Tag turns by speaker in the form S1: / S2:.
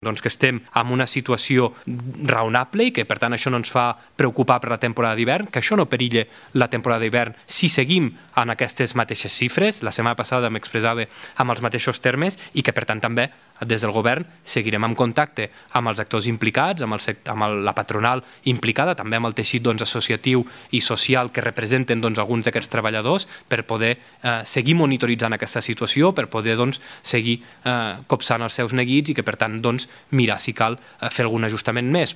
S1: que estem en una situació raonable i que per tant això no ens fa preocupar per la temporada d'hivern, que això no perilla la temporada d'hivern si seguim en aquestes mateixes xifres. La setmana passada m'expressava amb els mateixos termes i que per tant també des del govern seguirem en contacte amb els actors implicats, amb la patronal implicada, també amb el teixit associatiu i social que representen alguns d'aquests treballadors per poder seguir monitoritzant aquesta situació, per poder seguir copsant els seus neguits i que per tant mirar si cal fer algun ajustament més.